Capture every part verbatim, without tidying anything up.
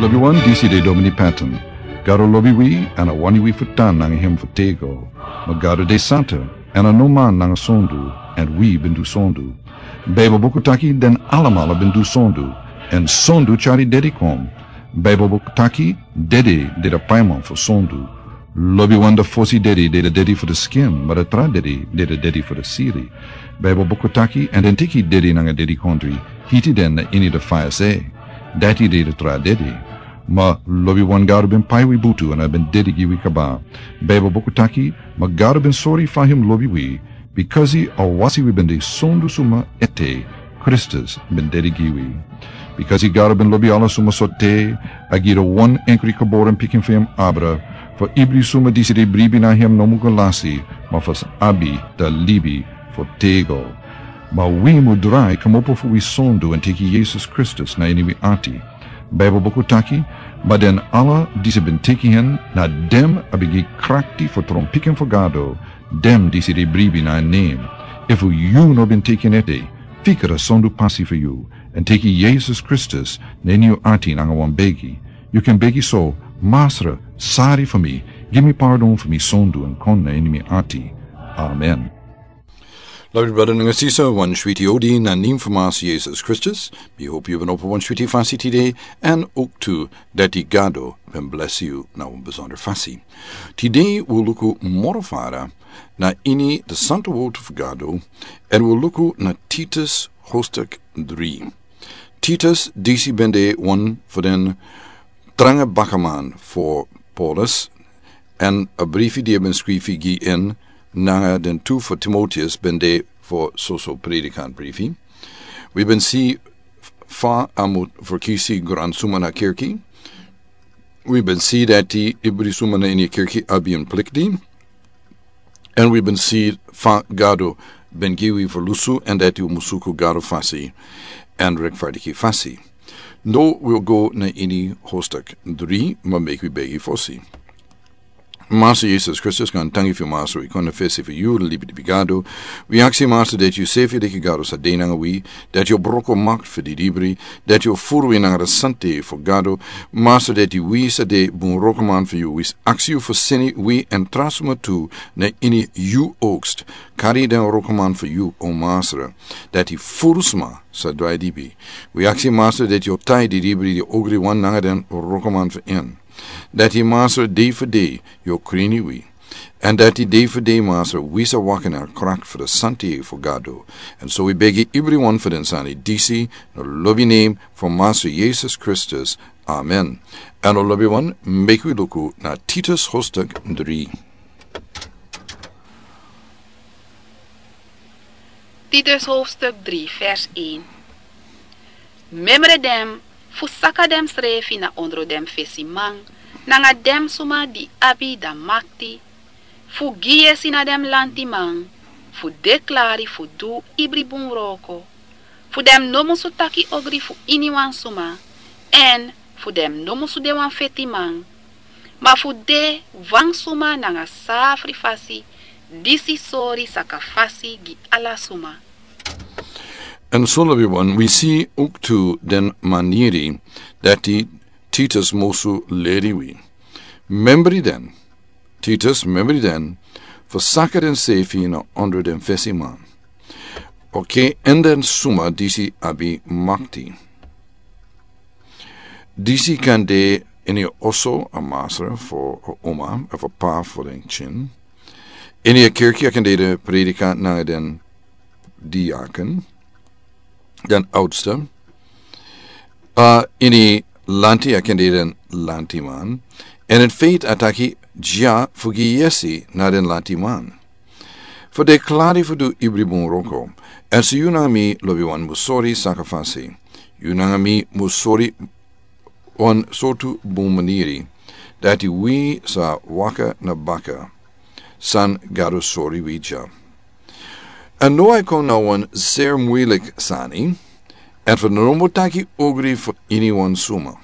Lobiwan, disi de Domini Patton. Gado lobi wi, èn a wani wi fu tan nanga hem fu tego. Ma Gado de santa, èn a no man nanga sondu, èn wi ben du sondu. Baibel buku taki den alamala ben du sondu, èn sondu tyari dedi kon. Baibel buku taki dede de de paiman fu sondu. Lobiwan, da fosi dedi de de dedi fu de skin, ma da tra dedi de de dedi fu de siri. Baibel buku taki, èn den teki dedi nanga dedikondri, hiti den na ini de faya se. Dati de de tra dedi. Ma lobiwan, Gado ben pai wi butu èn a ben dedi gi wi kaba. Baibel buku taki, ma Gado ben sori fa hem lobi wi, bikasi a wasi wi ben de sondu suma ete, Kristus ben dedi gi wi. Bikasi Gado ben lobi ala suma so te, a gi de wan enkri geboren pikin fu hem abra, fu ibri suma disi de bribi na hem no mu go lasi, ma fu sa abi da libi fu tego. Ma wi mu drai kmopo fu wi sondu èn teki Yesus Kristus na ini wi ati. Baibel buku taki, ma den ala disi ben teki hen, na dem a ben gi krakti fu tron pikin fu Gado, dem disi de bribi na en nen. Efu yu no ben teki en ete, fika da sondu pasi fu yu, èn teki Yesus Kristus na ini yu ati nanga wan begi. Yu kan begi so: Masra, sari fu mi, gi mi pardon fu mi sondu èn kon na ini mi ati. Amen. Lobi brada nanga sisa, wan switi odi na nen fu Masra Yesus Kristus. Mi hopi yu ben opo wan switi fasi tide, èn owktu dati Gado ben blesi yu na wan besonder fasi. Tide wi o luku moro fara na ini de santa wortu fu Gado, èn wi o luku na Titus hoofdstuk dri. Titus, disi ben de wan fu den tranga bakaman fu Paulus, èn a brifi di a ben skrifi gi en nanga den tu fu Timoteus ben de fu soso predikant brifi. Wi ben si fa a mu ferkisi gransuma na kerki. Wi ben si dati ibri suma na ini kerki abi en plikti. Èn wi ben si fa Gado ben gi wi fu lusu, èn dati wi musu suku Gado fasi èn rektfardiki fasi. No wi o go na ini hoofdstuk dri, ma meki wi begi fosi. Masra Yesus Kristus, kan tangi fu Masra, wi kon na fesi fu yu, libi di Gado. Wi aksi Masra dati yu sefi leki Gado sa de nanga wi, dati yu o broko makti fu di libri, dati yu o furu wi nanga de santa fu Gado. Masra, dati wi sa de bun wrokoman fu yu, wi aksi yu fu seni wi èn tra suma tu na ini yu oogst. Kari den wrokoman fu yu, o Masra, dati furu sma sa drai libi. Wi aksi Masra dati yu o tai di libri di ogriwan nanga den wrokoman fu en. Dati Masra, dei fu dei yu o krini wi. Èn dati dei fu dei Masra, wi sa waka na krakti fu de santa fu Gado. Èn so wi begi ibriwan fu den sani disi na lobi nen fu Masra Yesus Kristus. Amen. Èn o lobiwan, meki wi luku na Titus hoofdstuk dri. Titus hoofdstuk dri, vers een. Memre dem fu saka demsrefi na ondro den fesiman, nanga den suma di abi da makti fu gi yesi na den lantiman, fu de klari fu du ibri bun wroko, fu den no musu taki ogri fu iniwan suma, èn fu den no musu de wan fetiman, ma fu de wan suma nanga safri fasi, disi sori saka fasi gi ala suma. Èn so lobiwan, wi si owktu den maniri dati Titus musu leri wi. Membri den, Titus, membri den fu saka densefi na ondro den fesiman. Oké, èn den suma disi abi makti. Disi kan de ini oso, a masra fu a uma, efu a p'pa fu den ktin. Ini a kerki a kan de de predikant nanga den diakon, den oudste. A, ini lanti a kan de den lantiman. Èn in feite a taki dya fu gi yesi na den lantiman. Fu de klari fu du ibri bun wroko. Èn so yu nanga mi, lobiwan, mus sori saka fasi. Yu nanga mi mus sori wan sortu bun maniri, dati wi sa waka na baka san Gado sori wi dya. Èn now a e kon na wan seri muilik sani, èn fu no mus taki ogri fu iniwan suma.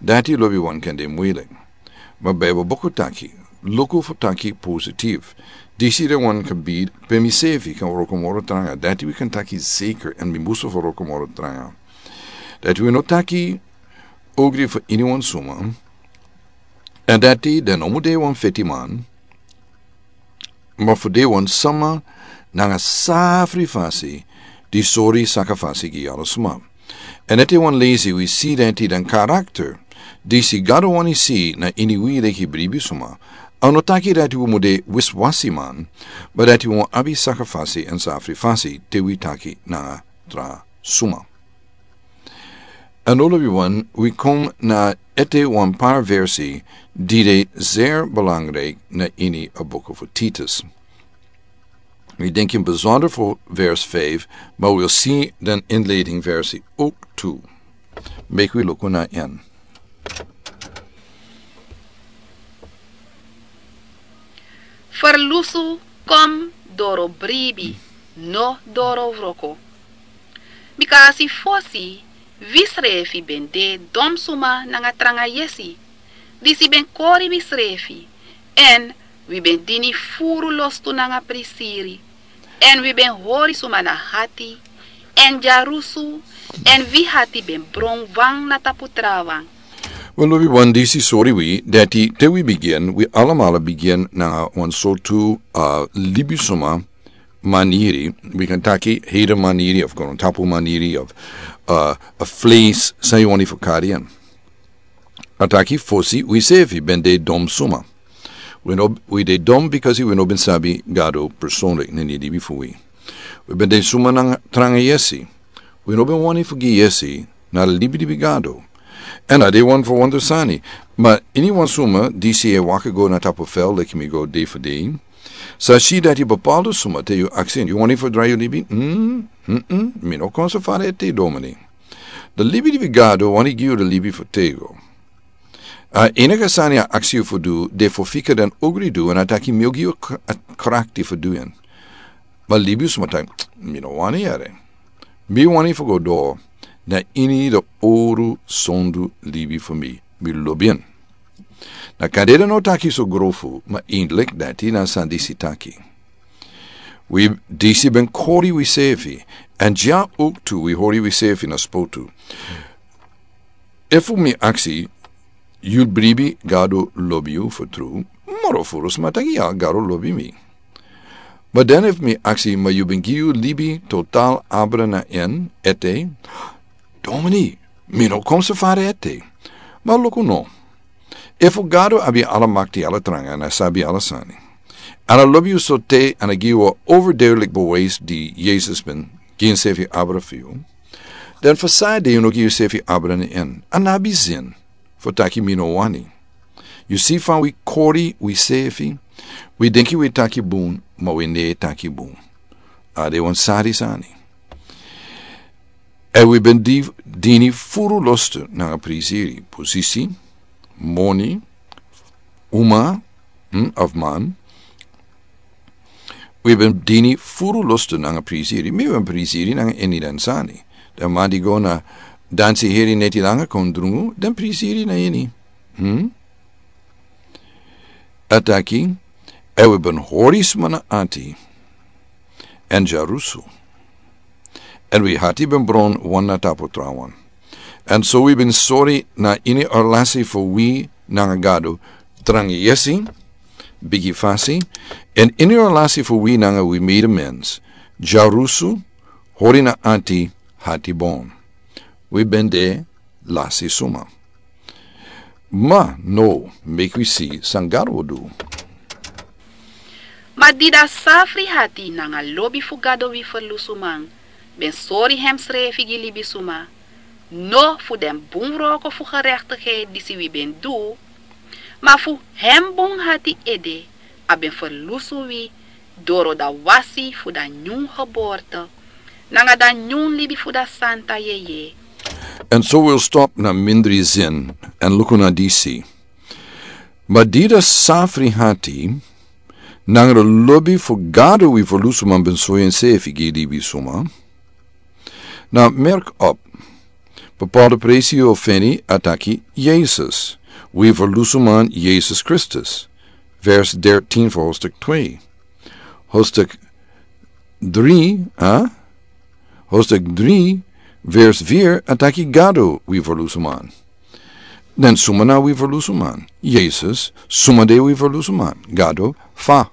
Dati, lobiwan, kan de muilik. Ma Bijbel buku taki, luku fu taki positief. Disi de wan gebied pe misefi kan wroko moro tranga. Dati wi kan taki zeker, èn mi musu fu wroko moro tranga. Dati wi no taki ogri fu iniwan suma, èn dati den no mu de wan fetiman, ma fu de wan sama nanga safri fasi di sori saka fasi gi ala suma. Èn ete wan lesi wi si dati den karakter disi Gado wani si na ini wi leki bribi suma. A no taki dati wi mu de wiswasi man, ma dati wi mu abi saka fasi èn safri fasi te wi taki nanga tra suma. Èn olo wi wan wi kon na ete wan par versi di de zeer belangrijk na ini a boek fu Titus. Wi denki besonder fu vers vijf, ma wi si den inleiding versi ook tu. Meki wi luku na en. Ferlusu kon doro bribi, no doro wroko. Bika a si fosi wi srefi ben de don suma nanga tranga yesi, disi ben kori wi srefi, èn wi ben dini furu lostu nanga prisiri, èn wi ben hori suma na hati, èn dyarusu, èn wi hati ben bron wan na tapu trawan. Wel, lobi wan, disi sori wi dati te wi bigin, wi alamala bigin nanga wan sortu, uh, libisuma maniri, wi kan taki heden maniri of grontapu maniri of, uh, a vlees san yu wani fu kari en. A taki fosi wi sefi ben de dom suma. Wi no, wi de dom because wi no ben sabi Gado personlik na ini libi fu wi. Wi ben de suma nanga tranga yesi. Wi no ben wani fu gi yesi na libi libi Gado. Èn a de wan fu wonder sani. Ma iniwan suma disi e waka go na tapu fel leki mi go de fu de, sa si dati bepaalde suma te yu aksi en, yu wani fu drai yu libi? Mm, mm, mm, mi no kon so fara ete, domini. De libi libi Gado wani gi yu de libi fu tego. A enige sani a aksi yu fu du, de fu fika den ogri du, èn a taki mi o gi yu k-, a krakti fu du en. Ma libi suma taki, mi no wani yere. Mi wani fu go doro na ini de oru sondu libi fu mi. Mi lobi en. Na kandede no taki so grofu, ma eindelijk dati na san disi taki. Wi disi ben kori wi sefi, èn dya ook tu wi hori wi sefi na spotu. Efu mi aksi, yu bribi Gado lobi yu fu tru? Moro furu sma taki ya, Gado lobi mi. Ma dan efu mi aksi, ma yu ben gi yu libi total abra na en ete? Domini, mi no kon so fara ete. Ma luku no. Efu Gado abi ala makti, ala tranga, èn a sabi ala sani, èn a lobi yu so te, èn a gi yu a overduidelijk bewijs di Yesus ben gi ensefi abra fu yu, dan fu san ede yu no gi yusefi abra na en? A no abi zin fu taki mi no wani. Yu si, fa wi kori wi sefi, wi denki wi taki bun, ma wi no e taki bun. A de wan sari sani. Èn wi ben di-, dini furu lostu nanga prisiri, posisi, moni, uma, hm, of man. Wi ben dini furu lostu nanga prisiri. Mi ben prisiri nanga ini den sani. Den man di go na dansi heri neti langa kon drungu, den prisiri na ini. Hm? A taki, èn wi ben hori sma na ati, èn dyarusu. Èn wi hati ben bron wan na tapu trawan. Èn so wi ben sori na ini a relasi fu wi nanga Gado, tranga yesi, bigi fasi, èn ini a relasi fu wi nanga wi medemens, dyarusu, hori na ati, hati bon. Wi ben de lasi suma. Ma now, meki wi si san Gado o du. Ma di da safri hati nanga lobi fu Gado wi ferlusuman ben sori hemsrefi gi libisuma, no fu den bun wroko fu gerechtigheid disi wi ben du, ma fu hem bun hati ede, a ben ferlusu wi doro da wasi fu da nyun geboorte, nanga da nyun libi fu da santa yeye. Èn so wi o stop na mindri zin, èn luku na disi. Ma di da safri hati nanga da lobi fu Gado wi ferlusuman ben sori ensefi gi libisuma. Now, merk op. Bepaalde presi yu o feni a taki Yesus. Wi ferlusuman Yesus Kristus. Vers dertien fu hoofdstuk twee. Hoofdstuk drie, hè? Hoofdstuk drie, vers vier, a taki Gado wi ferlusuman. Den suma na wi ferlusuman? Yesus. Suma de wi ferlusuman? Gado. Fa?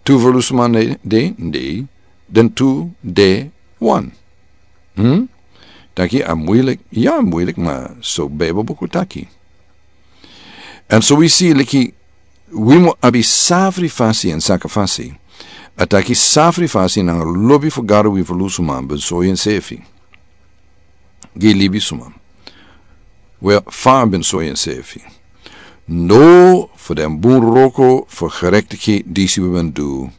Tu ferlusuman de, de, den tu de wan. Hmm? Taki a muilik, ya muilik, ma so Bijbel buku taki. En so wi si liki wi mu abi safri fasi en saka fasi. A taki safri fasi nanga lobi fu Gado wi ferlusuman ben soi ensefi gi libisuma. Wel, fa a ben soi ensefi. No fu den bun wroko fu gerektiki disi wi ben du,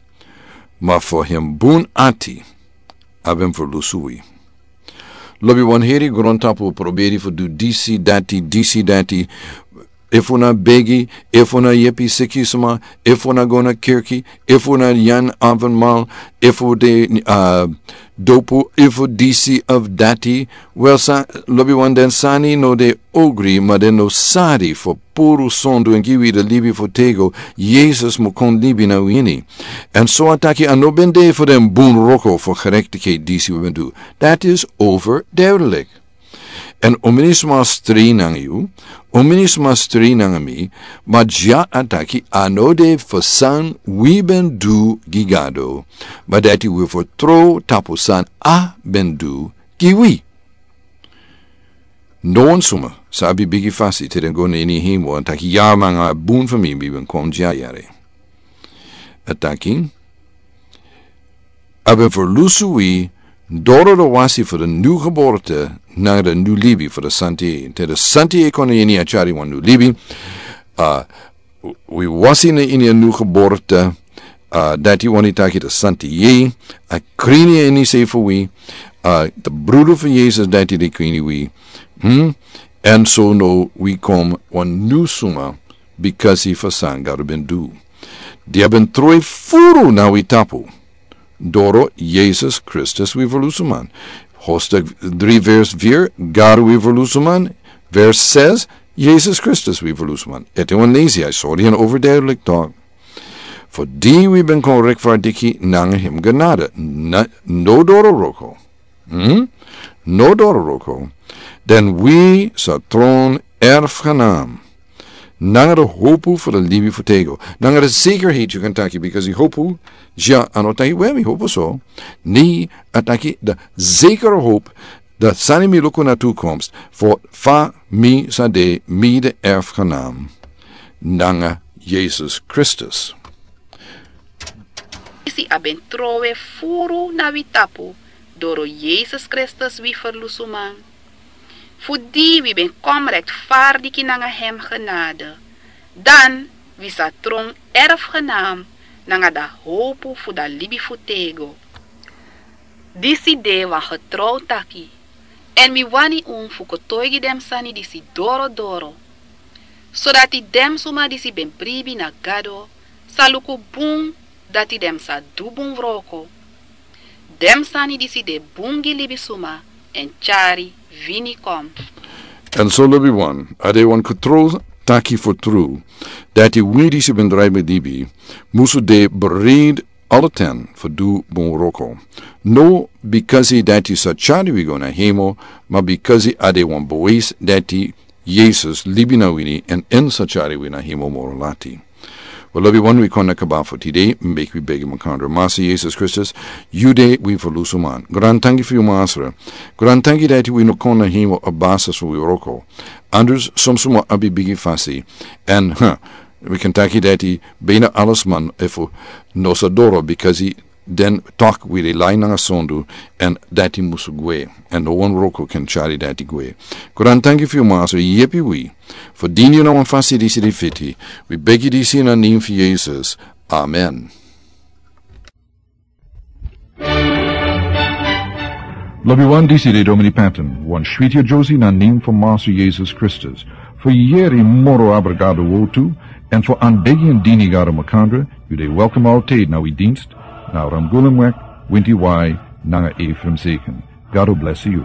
ma fu en bun ati a ben ferlusu wi. Lobi wan heri grontapu proberi fu du disi dati, disi dati. Efu na begi, efu na yepi sikisma, efu na go na kirki, efu na yan avonmaal, efu de, ah, dopu, efu disi of dati. Wel, sa, lobi wan, den sani no de ogri, ma den no sari fu puru sondu en gi wi de libi fu tego. Yesus mu kon libi na wini. En so a taki a no ben de fu den bun wroko fu gerektiki disi wi ben du. That is overduidelijk. En un mini sma stri nanga yu, un mini sma stri nanga mi, ma dya a taki a no de fu san wi ben du gi Gado, ma dati wi fertrow tapu san a ben du gi wi. No wan suma sa abi bigi fasi te den go na ini hemel, a taki ya, nanga a bun fu mi mi ben kon dya yere. A taki a ben ferlusu wi doro de wasi fu de nu geborte nanga de nu libi fu de santi. Te de santi e kon na ini a tyari wan nu libi. Ah, wi wasi na ini a nu geborte. Ah, dati wani taki de santi ye a krini ini se fu wi. Ah, de brudu fu Yesus dati de krini wi. Hmm? En so no wi kon wan nu suma, bikasi fu san Gado ben du. Di a ben trow furu na wi tapu doro Yesus Kristus wi ferlusuman. Hoofdstuk dri vers vier, Gado wi ferlusuman. Vers zes, Yesus Kristus wi ferlusuman. Ete wan lesi, a sori en overduidelijk toch. Fu di wi ben kon rechtvaardig nanga hem genade. Na, no doro wroko. Hmm? No doro wroko. Den wi sa tron erfgenaam. Nanga de hopu fu de libi fu tego. Nanga de zekerheid yu kan taki, because yu hopu, ya, a no taki we mi hopu so. Ni a taki de zekere hopu, de sani mi luku na toekomst, fu fa mi sa de mi de erfgenaam. Nanga Yesus Kristus. Disi a ben trowe furu na wi tapu doro Yesus Kristus wi ferlusuman. Fu di wi ben kon rechtvaardig nanga hem genade, dan wi sa tron erfgenaam nanga da hopu fu da libi fu tego. Disi de wan getrouw taki, en mi wani un fu kotoigi den sani disi doro doro, sodati den suma disi ben bribi na Gado sa luku bun dati den sa du bun wroko. Den sani disi de bun gi libisuma en tyari wini kon. En so lobi wan, a de wan getrouw taki fu tru, dati wi disi ben drai ben libi musu de bereid alle ten fu du bun wroko. No bikasi dati sa tyari wi go na hemel, ma bikasi a de wan bewijs dati Yesus libi na wini en en sa tyari wi na hemel moro lati. Wel, lobi wan, wi kon na kaba fu tide, meki wi begi makandra. Masra Yesus Kristus, yu de wi ferlusuman. Grantangi fu yu, Masra. Grantangi dati wi no kon na hemel a basi fu wi wroko. Anders son suma abi bigi fasi. En, huh, wi kan taki dati bijna alles man efu no sa doro, bikasi den tok wi de lai nanga sondu, en dati musu gwe. En no wan wroko kan tyari dati gwe. Grantangi fu yu, Masra, yepi wi fu dini yu na wan fasi disi di fiti. Wi begi disi na nen fu Yesus. Amen. Lobi wan, disi de Domini Patton, wan switi a Josie na nen fu Masra Yesus Kristus. Fu yeri moro abra Gado wortu, en fu anbegi en dini Gado makandra, yu de welkom altijd na wi dienst, na Ramgulumweg, Winti Wai, nanga Ephraim Zeken. Gado bless yu.